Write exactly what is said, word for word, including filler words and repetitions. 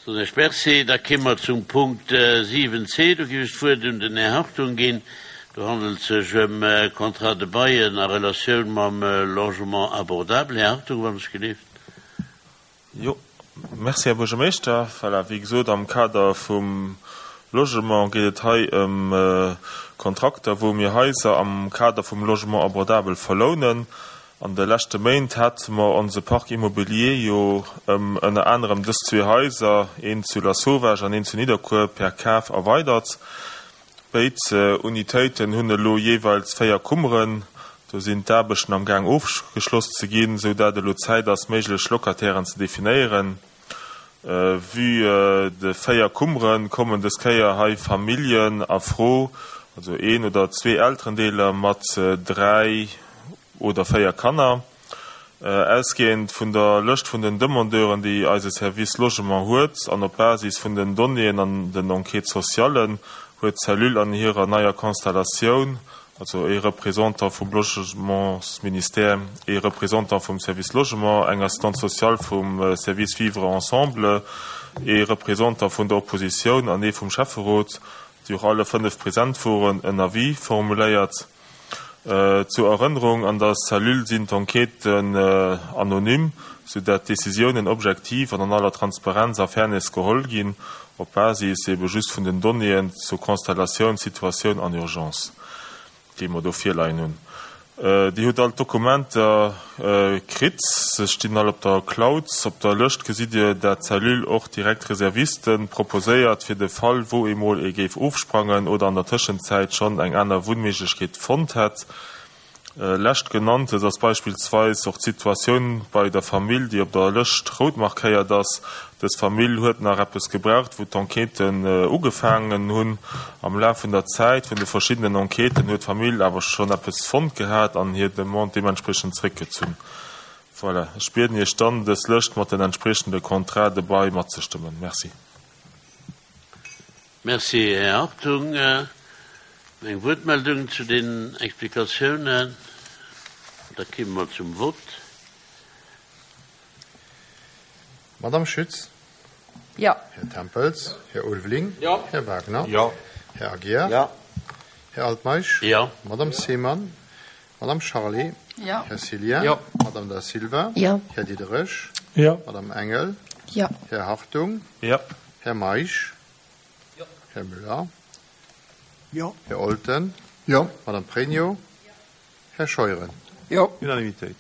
Soen ech Merci. Da kéime mer zum Punkt siwen c. Do géif ech d'Wuert un den Här Hartung ginn. Do handelt et sech ëm Contrats de bail a Relatioun mam Logement abordable. Här Hartung, wann ech gelift. Jo, merci, Här Buergermeeschter. Voilà, wéi gesot, am Kader vum Logement geet et hei ëm Kontrakter, wou mir Haiser am Kader vum Logement abordable verlounen. An de leschte Méint hate mer onse Parc immobilier jo ëm ënner anerem dës zwee Haiser, een zu Lasauvage an een zu Nidderkuer, per Kaf erweidert. Béid Unitéiten hunn elo jeeweils véier Kummeren. Do sinn d'Aarbechten am Gaang ofgeschloss ze ginn, sou dat elo Zäit ass, méiglech Locatairen ze definéieren. Vue de véier Kummere kommen dës Kéier hei Familljen a Fro, also een oder zwee Elterendeeler mat dräi oder véier Kanner. Ausgehend vun der Lëscht vun den Demandeuren, déi eise Service Logement huet, an op Basis vun den Donnéeën an den Enquêtes socialen, huet d'Cellule an hirer neier Konstellatioun, also ee Représentant vum Logementsministère, ee Représentant vum Service Logement, eng Assistante sociale vum Service Vivre ensemble, ee Représentant vun der Oppositioun an ee vum Schäfferot, déi och alle fënnef present woren, en Avis formuléiert. Zur Erënnerung, An der Cellule sinn d'Enquêten anonym, sou dat d'Décisiounen objektiv an an aller Transparenz a Fairness geholl ginn, op Basis ebe just vun den Donnéeën zur Konstellatioun, Situatioun an Urgence, déi mer do virleien hunn. Dir hutt all d'Dokumenter kritt, se stinn all op der Cloud. Op der Lëscht gesitt Dir, dat d'Cellule och direkt Reserviste proposéiert, fir de Fall, wou emol ee géif ofsprangen oder an der Tëschenzäit schonn eng aner Wunnméiglechkeet fonnt hätt. Leschtgenanntes ass beispillsweis och d'Situatioun bei der Famill, déi op der Lëscht rout markéiert ass. Dës Famill huet nach eppes gebraucht, wou d'Enquêten ugefaangen hunn. Am Laf vun der Zäit vun de verschiddenen Enquêten huet d'Famill awer schonn eppes fonnt gehat an hir Demande deementspriechend zréckgezunn. Voilà, ech bieden Iech dann, dës Lëscht mat den entspriechende Contrats de bail matzestëmmen. Merci. Merci, Här Hartung. Eng Wuertmeldung zu den Explikatiounen? Da kéime mer zum Vott. Madame Schütz? Jo. Här Tempels? Här Ulveling? Jo. Här Wagner? Jo. Här Aguiar? Jo. Här Altmeisch? Jo. Madame Seemann? Madame Charlé? Jo. Här Cillien? Jo. Madame Da Silva? Jo. Här Diderich? Jo. Madame Engel? Jo. Här Hartung? Jo. Här Meisch? Jo. Här Müller? Jo. Här Olten? Jo. Madame Pregno? Här Scheuren? Jo. Unanimitéit.